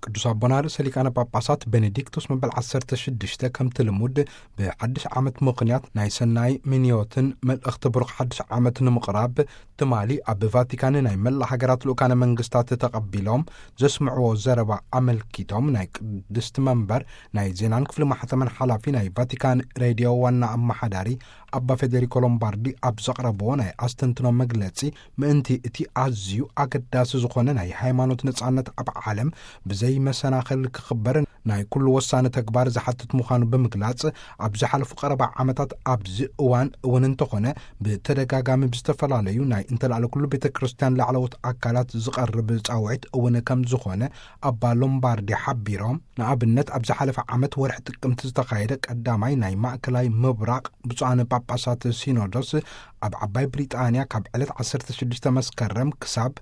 ቅዱስ ኣቦና ርእሰ ሊቃነ ጳጳሳት ቤኔዲክቶስ መበል ዓሰርተ ሽዱሽተ ከምቲ ልሙድ ብሓድሽ ዓመት ምኽንያት ናይ ሰናይ ምንዮትን መልእኽቲ ብሩኽ ሓድሽ ዓመት ንምቕራብ ትማሊ ኣብ ቫቲካን ናይ መላእ ሃገራት ልኡካነ መንግስታት ተቐቢሎም ዘስምዕዎ ዘረባ ኣመልኪቶም ናይ ቅድስቲ መንበር ናይ ዜናን ክፍሊ ማሕተመን ሓላፊ ናይ ቫቲካን ሬድዮ ዋና ኣመሓዳሪ ኣባ ፌዴሪኮ ሎምባርዲ ኣብ ዘቕረብዎ ናይ ኣስተንትኖ መግለጺ ምእንቲ እቲ ኣዝዩ ኣገዳሲ ዝኾነ ናይ ሃይማኖት ነጻነት ኣብ ዓለም ብዘይ መሰናኸል ክኽበር ናይ ኩሉ ወሳኒ ተግባር ዝሓትት ምዃኑ ብምግላጽ፣ ኣብ ዝሓለፉ ቀረባ ዓመታት ኣብዚ እዋን እውን እንተኾነ ብተደጋጋሚ ብዝተፈላለዩ ናይ እንተላዕለ ኩሉ ቤተ ክርስቲያን ላዕለዎት ኣካላት ዝቐርብ ጻውዒት እውን ከም ዝኾነ ኣባ ሎምባርዲ ሓቢሮም። ንኣብነት ኣብ ዝሓለፈ ዓመት ወርሒ ጥቅምቲ ዝተኻየደ ቀዳማይ ናይ ማእከላይ ምብራቕ ብፁዓን ጳጳሳት ሲኖዶስ ኣብ ዓባይ ብሪጣንያ ካብ ዕለት ዓሰርተ ሽዱሽተ መስከረም ክሳብ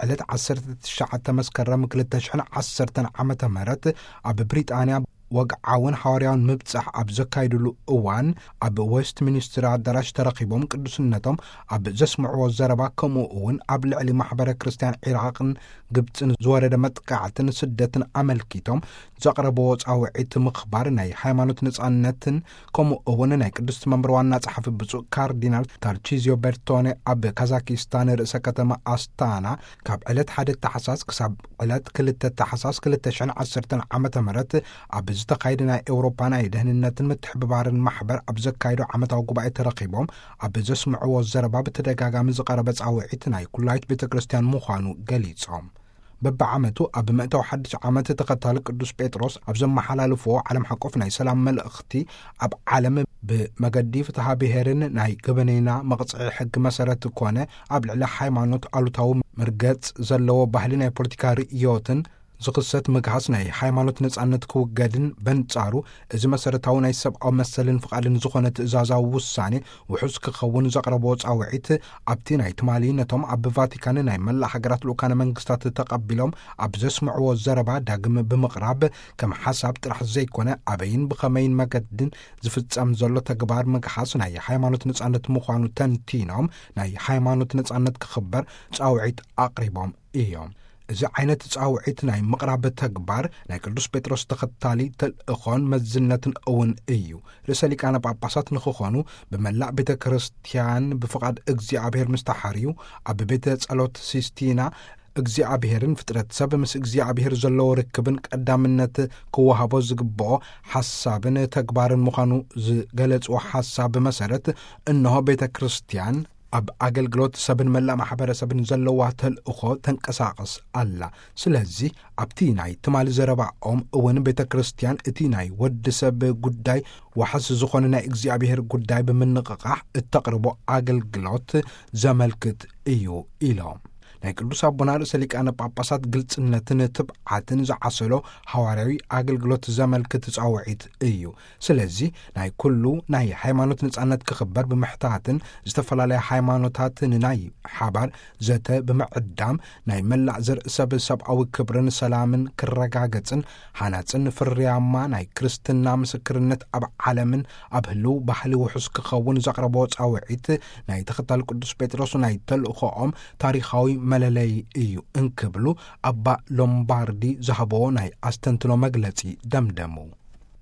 ዕለት ዓሰርተ ትሽዓተ መስከረም ክልተ ሽሕን ዓሰርተን ዓመተ ምህረት ኣብ ብሪጣንያ ወግዓውን ሓዋርያውን ምብጻሕ ኣብ ዘካይድሉ እዋን ኣብ ዌስት ሚኒስትር ኣዳራሽ ተረኺቦም ቅዱስነቶም ኣብ ዘስምዕዎ ዘረባ ከምኡ እውን ኣብ ልዕሊ ማሕበረ ክርስቲያን ዒራቕን ግብጽን ዝወረደ መጥቃዕትን ስደትን ኣመልኪቶም ዘቕረብዎ ጻውዒት ምኽባር ናይ ሃይማኖት ነጻነትን ከምኡ እውን ናይ ቅድስቲ መንበር ዋና ጸሓፊ ብፁዕ ካርዲናል ታርቺዚዮ በርቶኔ ኣብ ካዛኪስታን ርእሰ ከተማ ኣስታና ካብ ዕለት ሓደ ታሕሳስ ክሳብ ዕለት ክልተ ታሕሳስ ክልተ ሽሕን ዓሰርተን ዓመተ ምህረት ኣብ ዝተኻየደ ናይ ኤውሮፓ ናይ ደህንነትን ምትሕብባርን ማሕበር ኣብ ዘካየዶ ዓመታዊ ጉባኤ ተረኺቦም ኣብ ዘስምዕዎ ዘረባ ብተደጋጋሚ ዝቐረበ ጻውዒት ናይ ኩላይት ቤተ ክርስቲያን ምዃኑ ገሊጾም። በብዓመቱ ኣብ መእተዊ ሓድሽ ዓመት ተኸታሊ ቅዱስ ጴጥሮስ ኣብ ዘመሓላልፍዎ ዓለም ሓቆፍ ናይ ሰላም መልእኽቲ ኣብ ዓለም ብመገዲ ፍትሃ ብሔርን ናይ ገበነይና መቕጽዒ ሕጊ መሰረት ኮነ ኣብ ልዕሊ ሃይማኖት ኣሉታዊ መርገጽ ዘለዎ ባህሊ ናይ ፖለቲካ ርእዮትን ዝኽሰት ምግሃስ ናይ ሃይማኖት ነጻነት ክውገድን በንጻሩ እዚ መሰረታዊ ናይ ሰብኣዊ መሰልን ፍቓድን ዝኾነ ትእዛዛዊ ውሳኔ ውሑስ ክኸውን ዘቕረቦ ጻውዒት ኣብቲ ናይ ትማሊ ነቶም ኣብ ቫቲካን ናይ መላእ ሃገራት ልኡካነ መንግስታት ተቐቢሎም ኣብ ዘስምዕዎ ዘረባ ዳግም ብምቕራብ ከም ሓሳብ ጥራሕ ዘይኮነ ኣበይን ብኸመይን መገድን ዝፍጸም ዘሎ ተግባር ምግሃስ ናይ ሃይማኖት ነጻነት ምዃኑ ተንቲኖም ናይ ሃይማኖት ነጻነት ክኽበር ጻውዒት ኣቕሪቦም እዮም። እዚ ዓይነት ጻውዒት ናይ ምቕራብ ተግባር ናይ ቅዱስ ጴጥሮስ ተኸታሊ ተልእኾን መዝነትን እውን እዩ። ርእሰ ሊቃነ ጳጳሳት ንኽኾኑ ብመላእ ቤተ ክርስቲያን ብፍቓድ እግዚኣብሔር ምስ ተሓርዩ ኣብ ቤተ ጸሎት ሲስቲና እግዚኣብሔርን ፍጥረት ሰብ ምስ እግዚኣብሔር ዘለዎ ርክብን ቀዳምነት ክወሃቦ ዝግብኦ ሓሳብን ተግባርን ምዃኑ ዝገለጽዎ ሓሳብ መሰረት እንሆ ቤተ ክርስቲያን ኣብ ኣገልግሎት ሰብን መላእ ማሕበረሰብን ዘለዋ ተልእኾ ተንቀሳቐስ ኣላ። ስለዚ ኣብቲ ናይ ትማሊ ዘረባኦም እውን ቤተ ክርስቲያን እቲ ናይ ወዲ ሰብ ጉዳይ ዋሕስ ዝኾነ ናይ እግዚኣብሔር ጉዳይ ብምንቕቓሕ እተቕርቦ ኣገልግሎት ዘመልክት እዩ ኢሎም። ናይ ቅዱስ ኣቦና ርእሰ ሊቃነ ጳጳሳት ግልጽነትን ትብዓትን ዝዓሰሎ ሃዋርያዊ ኣገልግሎት ዘመልክት ጻውዒት እዩ። ስለዚ ናይ ኩሉ ናይ ሃይማኖት ነጻነት ክኽበር ብምሕታትን ዝተፈላለያ ሃይማኖታት ንናይ ሓባር ዘተ ብምዕዳም ናይ መላእ ዘርኢ ሰብ ሰብኣዊ ክብርን ሰላምን ክረጋገጽን ሃናጽን ፍርያማ ናይ ክርስትና ምስክርነት ኣብ ዓለምን ኣብ ህልው ባህሊ ውሑስ ክኸውን ዘቕረቦ ጻውዒት ናይ ተኸታል ቅዱስ ጴጥሮስ ናይ ተልእኾኦም ታሪኻዊ መለለይ እዩ እንክብሉ ኣባ ሎምባርዲ ዝሃብዎ ናይ ኣስተንትኖ መግለጺ ደምደሙ።